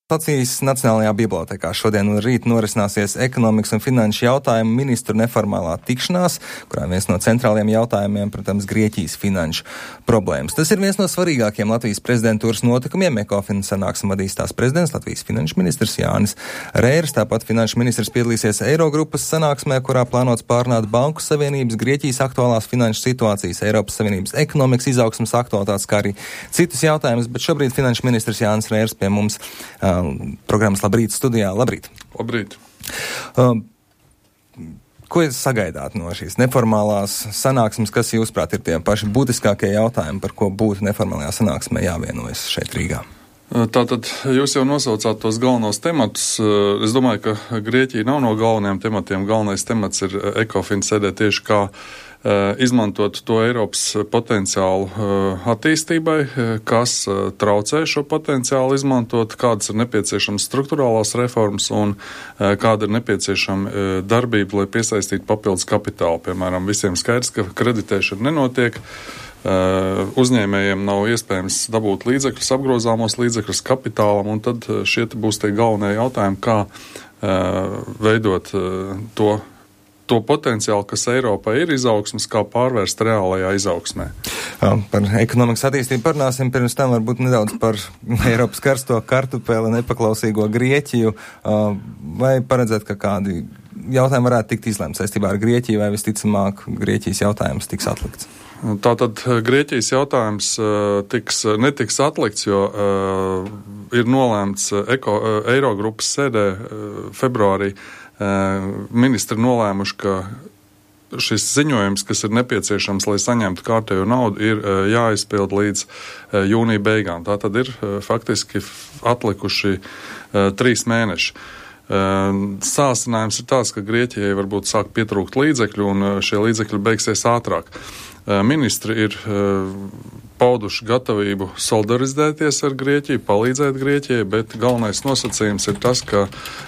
Latvijas Nacionālajā bibliotēkā šodien un rīt norisināsies ekonomikas un finanšu jautājumu ministru neformālā tikšanās, kurā viens no centrālajiem jautājumiem, protams, Grieķijas finanšu problēmas. Tas ir viens no svarīgākiem Latvijas prezidentūras notikumiem. Ekofin sanāksmi vadīs tās prezidents, Latvijas finanšu ministrs Jānis Reirs. Tāpat finanšu ministrs piedalīsies Eirogrupas sanāksmē, kurā plānots pārunāt Banku Savienības, Grieķijas aktuālās finanšu situācijas, Eiropas Savienības ekonomikas izaugsmas aktualitātes, kā arī citus jautājumus. Bet šobrīd finanšu ministrs Jānis Reirs pie mums programmas Labrīt studijā. Labrīt! Labrīt! Ko jūs sagaidāt no šīs neformālās sanāksmes, kas jūsuprāt ir tie paši būtiskākie jautājumi, par ko būtu neformālajā sanāksmē jāvienojas šeit Rīgā? Tātad jūs jau nosaucāt tos galvenos tematus. Es domāju, ka Grieķija nav no galvenajiem tematiem. Galvenais temats ir Ekofin sēdē tieši kā izmantot to Eiropas potenciālu attīstībai, kas traucē šo potenciālu izmantot, kādas ir nepieciešamas struktūrālās reformas un kāda ir nepieciešama darbība, lai piesaistītu papildus kapitālu. Piemēram, visiem skaidrs, ka kreditēšana nenotiek, uzņēmējiem nav iespējams dabūt līdzekļus, apgrozāmos līdzekļus kapitālam, un tad šie būs tie galvenie jautājumi, kā veidot to potenciālu, kas Eiropā ir izaugsmas, kā pārvērst reālajā izaugsmē. Par ekonomikas attīstību parunāsim, pirms tam varbūt nedaudz par Eiropas karsto kartupeli, nepaklausīgo Grieķiju. Vai paredzēt, ka kādi jautājumi varētu tikt izlemts saistībā ar Grieķiju, vai visticamāk Grieķijas jautājums tiks atlikts? Tātad Grieķijas jautājums netiks atlikts, jo ir nolēmts Eirogrupas sēdē februārī. Ministri nolēmuši, ka šis ziņojums, kas ir nepieciešams, lai saņemtu kārtējo naudu, ir jāizpild līdz jūnija beigām. Tā tad ir faktiski atlikuši 3 mēneši. Sāsinājums ir tāds, ka Grieķijai varbūt sāk pietrūkt līdzekļu, un šie līdzekļi beigsies ātrāk. Ministri ir pauduši gatavību solidarizēties ar Grieķiju, palīdzēt Grieķijai, bet galvenais nosacījums ir tas, ka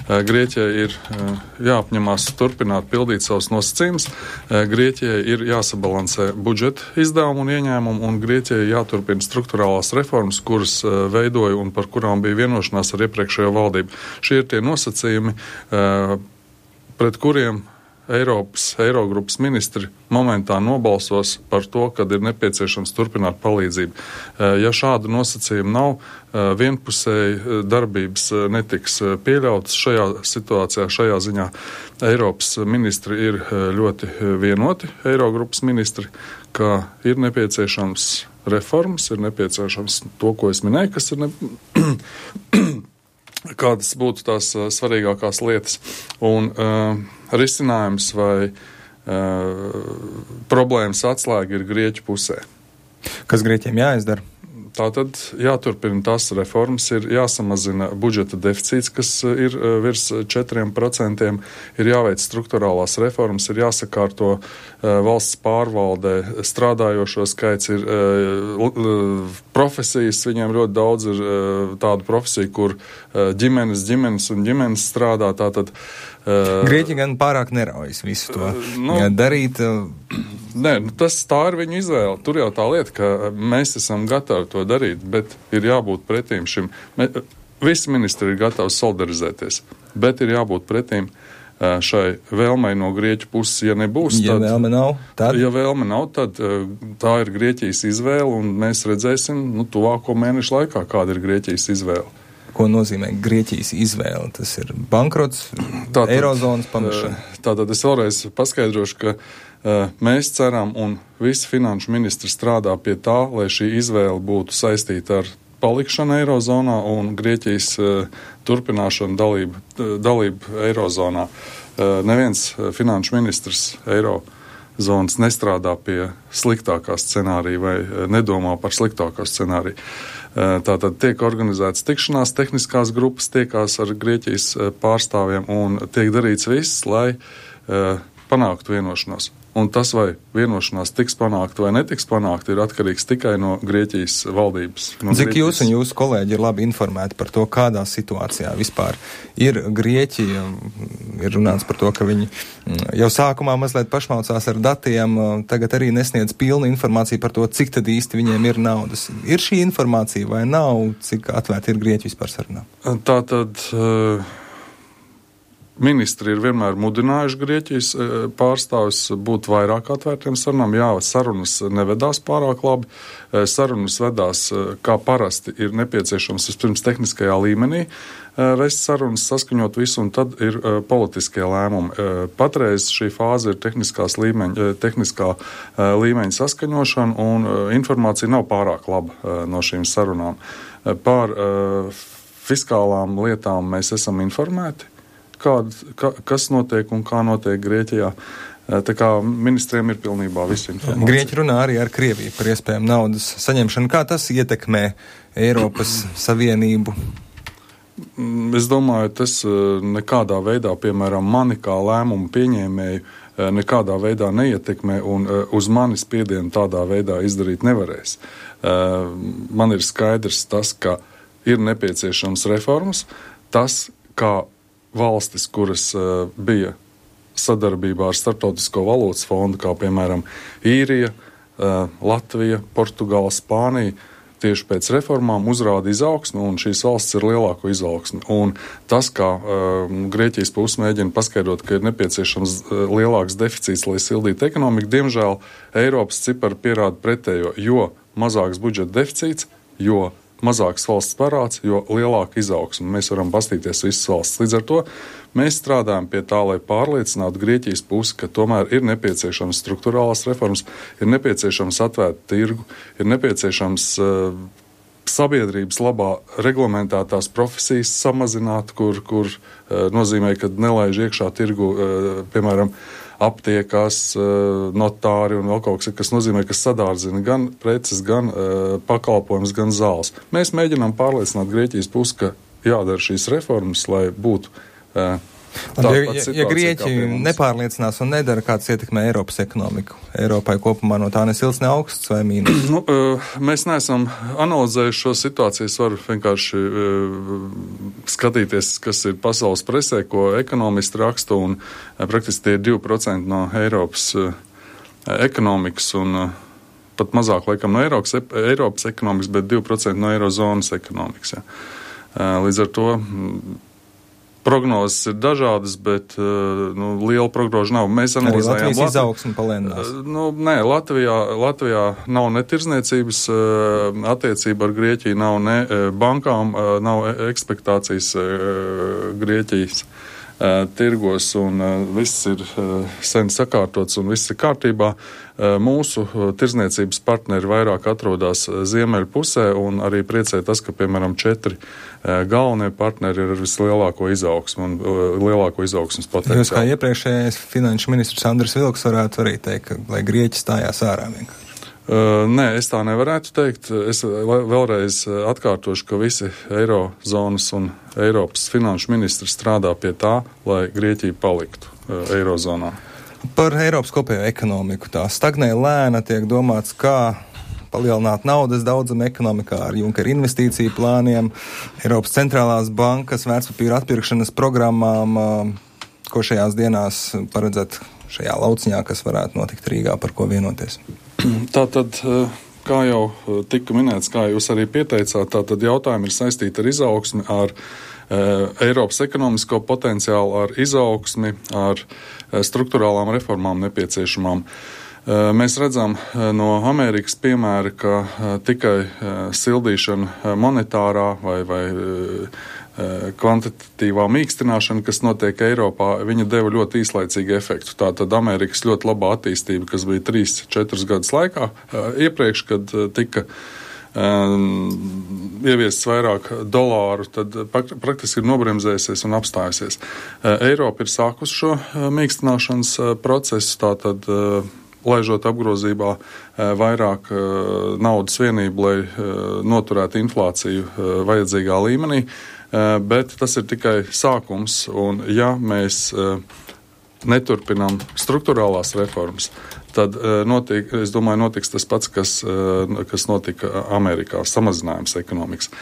Grieķijai ir jāapņemās turpināt pildīt savus nosacījumus. Grieķijai ir jāsabalansē budžeta izdevumu un ieņēmumu, un Grieķijai jāturpina struktūrālās reformas, kuras veidoja un par kurām bija vienošanās ar iepriekšējo valdību. Šie ir tie nosacījumi, pret kuriem Eirogrupas ministri momentā nobalsos par to, kad ir nepieciešams turpināt palīdzību. Ja šādu nosacījumu nav, vienpusēji darbības netiks pieļautas šajā situācijā, šajā ziņā. Eiropas ministri ir ļoti vienoti, Eirogrupas ministri, ka ir nepieciešams reformas, ir nepieciešams to, ko es minēju, kas ir kādas būtu tās svarīgākās lietas. Un risinājums vai problēmas atslēga ir Grieķu pusē. Kas Grieķiem jāizdara? Tātad jāturpina tās reformas, ir jāsamazina budžeta deficīts, kas ir virs 4%, ir jāveic struktūrālās reformas, ir jāsakārto valsts pārvaldē strādājošo skaits, ir profesijas, viņiem ļoti daudz ir tādu profesiju, kur ģimenes strādā, tātad Grieķi gan pārāk neraujas visu to darīt. Nē, tā ir viņu izvēle. Tur jau tā lieta, ka mēs esam gatavi to darīt, bet ir jābūt pretīm šim. Visi ministri ir gatavi solidarizēties, bet ir jābūt pretīm šai vēlmei no Grieķu puses. Ja nebūs, Ja vēlme nav, tad tā ir Grieķijas izvēle, un mēs redzēsim tuvāko mēnešu laikā, kāda ir Grieķijas izvēle. Ko nozīmē Grieķijas izvēle? Tas ir bankrots, eirozonas pamešana. Tātad es vēlreiz paskaidrošu, ka mēs ceram, un visi finanšu ministri strādā pie tā, lai šī izvēle būtu saistīta ar palikšanu eirozonā un Grieķijas turpināšanu dalību eirozonā. Neviens finanšu ministrs eirozonas nestrādā pie sliktākā scenārija vai nedomā par sliktākā scenāriju. Tātad tiek organizētas tikšanās, tehniskās grupas tiekās ar Grieķijas pārstāvjiem un tiek darīts viss, lai panāktu vienošanos. Un tas, vai vienošanās tiks panākt vai netiks panākt, ir atkarīgs tikai no Grieķijas valdības. Cik jūs un jūsu kolēģi ir labi informēti par to, kādā situācijā vispār ir Grieķija? Ir runāts par to, ka viņi jau sākumā mazliet pašmaucās ar datiem, tagad arī nesniedz pilnu informāciju par to, cik tad īsti viņiem ir naudas. Ir šī informācija vai nav, cik atvērti ir Grieķi vispār sarunā? Tātad ministri ir vienmēr mudinājuši Grieķijas pārstāvis būt vairāk atvērtiem sarunām. Jā, sarunas nevedās pārāk labi. Sarunas vedās, kā parasti, ir nepieciešams vispirms tehniskajā līmenī vest sarunas, saskaņot visu, un tad ir politiskie lēmumi. Patreiz šī fāze ir tehniskā līmeņa saskaņošana, un informācija nav pārāk laba no šīm sarunām. Par fiskālām lietām mēs esam informēti, kas notiek un kā notiek Grieķijā. Tā kā ministriem ir pilnībā visa informācija. Grieķi runā arī ar Krieviju par iespējamu naudas saņemšanu. Kā tas ietekmē Eiropas Savienību? Es domāju, tas nekādā veidā, piemēram, mani kā lēmumu pieņēmēju, nekādā veidā neietekmē, un uz mani spiedienu tādā veidā izdarīt nevarēs. Man ir skaidrs tas, ka ir nepieciešams reformas. Tas, kā valstis, kuras bija sadarbībā ar Startautisko valūtas fondu, kā piemēram Īrija, Latvija, Portugāla, Spānija, tieši pēc reformām uzrāda izaugsmi, un šīs valsts ir lielāko izaugsmi. Un tas, kā Grieķijas puse mēģina paskaidrot, ka ir nepieciešams lielāks deficīts, lai sildītu ekonomiku, diemžēl Eiropas cipari pierāda pretējo, jo mazāks budžeta deficīts, jo mazāks valsts parāds, jo lielāka izaugsme. Mēs varam pastīties visas valsts. Līdz ar to mēs strādājam pie tā, lai pārliecinātu Grieķijas pusi, ka tomēr ir nepieciešams struktūrālās reformas, ir nepieciešams atvērt tirgu, ir nepieciešams sabiedrības labā reglamentētās profesijas samazināt, kur nozīmē, ka nelaiž iekšā tirgu, piemēram, aptiekās, notāri un vēl kaut kas nozīmē, ka sadārdzina gan preces, gan pakalpojums, gan zāles. Mēs mēģinām pārliecināt Grieķijas pusi, ka jādara šīs reformas, lai būtu ja Grieķi nepārliecinās un nedara, kāds ietekmē Eiropas ekonomiku? Eiropai kopumā no tā nesilts ne augsts vai mīnus? Mēs neesam analizējuši šo situāciju. Es varu vienkārši skatīties, kas ir pasaules presē, ko ekonomisti raksta, un praktiski tie ir 2% no Eiropas ekonomikas un pat mazāk, laikam, no Eiropas ekonomikas, bet 2% no Eirozonas ekonomikas. Ja. Līdz ar to prognozes ir dažādas, bet liela prognoža nav. Mēs analizējām Latvijas izaugsmi palēninās. Nē, Latvijā nav ne tirzniecības attiecība ar Grieķiju, nav ne bankām, nav ekspektācijas Grieķijas tirgos, un viss ir sen sakārtots un viss ir kārtībā. Mūsu tirzniecības partneri vairāk atrodas ziemeļu pusē, un arī priecē tas, ka, piemēram, 4 galvenie partneri ir ar vislielāko izaugsmu un lielāko izaugsmas potenciālu. Jūs kā iepriekšējais finanšu ministrs Andris Vilks varētu arī teikt, ka, lai Grieķi stājās ārā vienkārši. Nē, es tā nevarētu teikt. Es vēlreiz atkārtošu, ka visi Eirozonas un Eiropas finanšu ministri strādā pie tā, lai Grieķija paliktu Eirozonā. Par Eiropas kopējo ekonomiku. Tā stagnē lēna, tiek domāts, kā palielināt naudas daudzumu ekonomikā ar Junkera investīciju plāniem, Eiropas centrālās bankas vērtspapīra atpirkšanas programmām, ko šajās dienās paredzēt šajā lauciņā, kas varētu notikt Rīgā, par ko vienoties. Tātad, kā jau tika minēts, kā jūs arī pieteicāt, tātad jautājumi ir saistīti ar izaugsmi, ar Eiropas ekonomisko potenciālu, ar izaugsmi, ar struktūrālām reformām nepieciešamām. Mēs redzam no Amerikas piemēra, ka tikai sildīšana monetārā vai kvantitatīvā mīkstināšana, kas notiek Eiropā, viņa deva ļoti īslaicīgu efektu. Tātad Amerikas ļoti labā attīstība, kas bija 3-4 gadus laikā iepriekš, kad tika ieviests vairāk dolāru, tad praktiski ir nobremzējusies un apstājusies. Eiropa ir sākus šo mīkstināšanas procesu, tātad laižot apgrozībā vairāk naudas vienību, lai noturētu inflāciju vajadzīgā līmenī. Bet tas ir tikai sākums, un ja mēs neturpinām struktūrālās reformas, tad es domāju, notiks tas pats, kas notika Amerikā, samazinājums ekonomikas.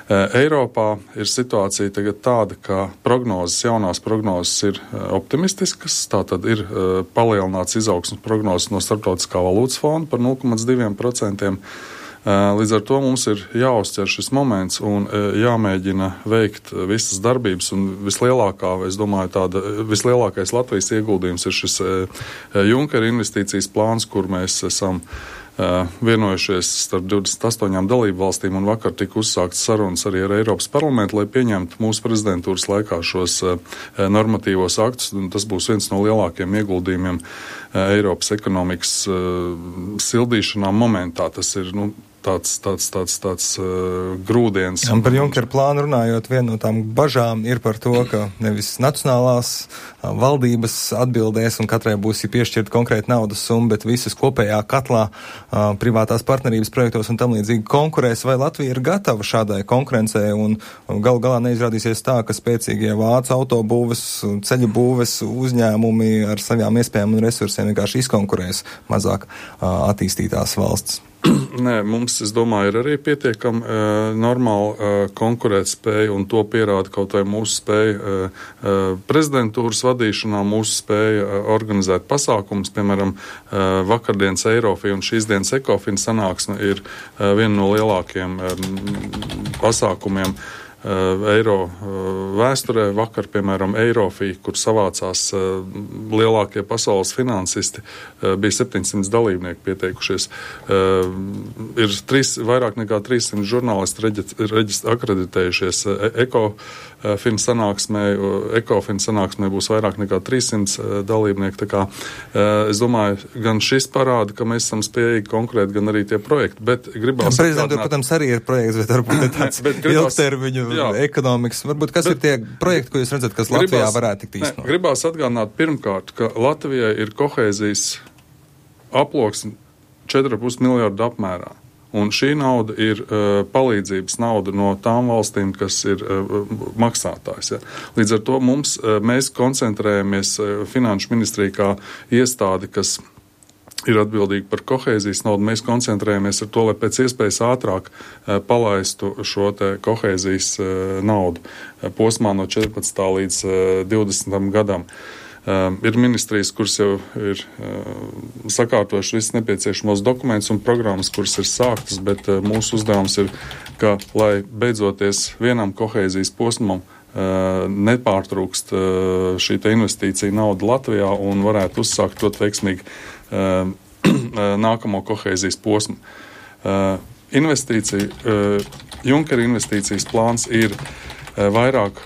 Eiropā ir situācija tagad tāda, ka jaunās prognozes ir optimistiskas, tātad ir palielināts izaugsmes prognozes no Starptautiskā valūtas fonda par 0,2%. Līdz ar to mums ir jāuztver šis moments un jāmēģina veikt visas darbības, un vislielākais Latvijas ieguldījums ir šis Junkera investīcijas plāns, kur mēs esam vienojušies starp 28 dalību valstīm, un vakar tika uzsākts sarunas arī ar Eiropas parlamentu, lai pieņemtu mūsu prezidentūras laikā šos normatīvos aktus, un tas būs viens no lielākiem ieguldījumiem Eiropas ekonomikas sildīšanā momentā. Tas ir, tāds grūdienis. Un par Junkera plānu runājot, viena no tām bažām ir par to, ka nevis nacionālās valdības atbildēs un katrai būs piešķirta konkrēta naudas summa, bet visas kopējā katlā privātās partnerības projektos un tam līdzīgi konkurēs, vai Latvija ir gatava šādai konkurencei un galu galā neizrādīsies tā, ka spēcīgie vācu autobūves, ceļu būves uzņēmumi ar savām iespējām un resursiem vienkārši izkonkurēs mazāk attīstītās valsts. Nē, mums, es domāju, ir arī pietiekami normāla konkurētspēja, un to pierāda kaut vai mūsu spēja prezidentūras vadīšanā, mūsu spēja organizēt pasākumus. Piemēram, vakardienas Eirofi un šīs dienas Ekofin sanāksme ir viena no lielākiem pasākumiem eiro vēsturē. Vakar, piemēram, Eirofī, kur savācās lielākie pasaules finansisti, bija 700 dalībnieki pieteikušies. Ir vairāk nekā 300 žurnālisti akreditējušies Ekofin sanāksmē būs vairāk nekā 300 dalībnieki. Tā kā, es domāju, gan šis parāda, ka mēs esam spējīgi konkurēt, gan arī tie projekti. Bet gribās Prezidentūra, protams, arī ir projekts, bet varbūt tāds ilgtermiņu ekonomikas. Varbūt kas ir tie projekti, ko jūs redzat, kas Latvijā varētu tikt īstenot? Gribās atgādināt pirmkārt, ka Latvijai ir kohēzijas aploksne 4,5 miljardu apmērā. Un šī nauda ir palīdzības nauda no tām valstīm, kas ir maksātājs. Ja. Līdz ar to mēs koncentrējamies Finanšu ministrija kā iestādi, kas ir atbildīgi par kohēzijas naudu. Mēs koncentrējamies ar to, lai pēc iespējas ātrāk palaistu šo te kohēzijas naudu posmā no 14. līdz 20. gadam. Ir ministrijas, kuras jau ir sakārtojuši visus nepieciešamos dokumentus un programmas, kuras ir sāktas, bet mūsu uzdevums ir, ka, lai beidzoties vienam kohēzijas posmam, nepārtrūkst šī te investīcija nauda Latvijā un varētu uzsākt ļoti veiksmīgi nākamo kohēzijas posmu. Junkera investīcijas plāns ir vairāk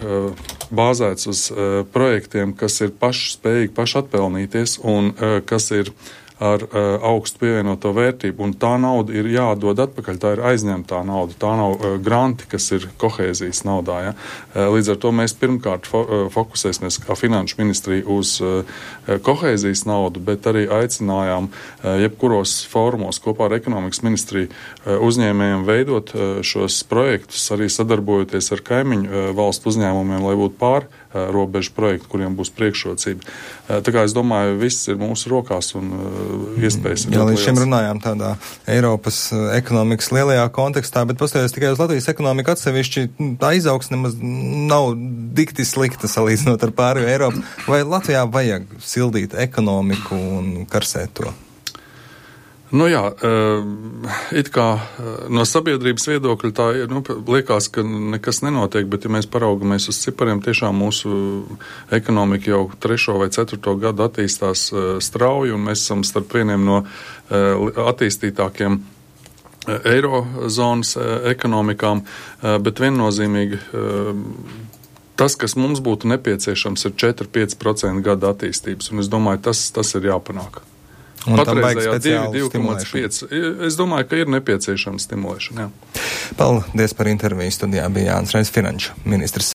bāzēts uz projektiem, kas ir paši spējīgi paši atpelnīties un kas ir ar augstu pievienoto vērtību, un tā nauda ir jādod atpakaļ, tā ir aizņemtā nauda, tā nav granti, kas ir kohēzijas naudā. Ja? Līdz ar to mēs pirmkārt fokusēsimies kā Finanšu ministrija uz kohēzijas naudu, bet arī aicinājām jebkuros fórumos kopā ar Ekonomikas ministriju uzņēmējiem veidot šos projektus, arī sadarbojoties ar kaimiņu valstu uzņēmumiem, lai būtu robežu projektu, kuriem būs priekšrocība. Tā kā es domāju, viss ir mūsu rokās un iespējas. Jā, līdz šim runājām tādā Eiropas ekonomikas lielajā kontekstā, bet paskatās tikai uz Latvijas ekonomiku atsevišķi, tā izaugsme nemaz nav dikti slikta salīdzinot ar pārējo Eiropu. Vai Latvijā vajag sildīt ekonomiku un karsēt to? Nu jā, it kā no sabiedrības viedokļa tā ir, liekas, ka nekas nenotiek, bet ja mēs paraugamies uz cipariem, tiešām mūsu ekonomika jau 3. vai 4. gadu attīstās strauji, un mēs esam starp vieniem no attīstītākiem eirozonas ekonomikām, bet viennozīmīgi tas, kas mums būtu nepieciešams, ir 4-5% gada attīstības, un es domāju, tas ir jāpanāk. Patreizējā 2,5. Es domāju, ka ir nepieciešama stimulēšana. Jā. Paldies par interviju. Studijā bija Jānis Reiss, finanšu ministrs.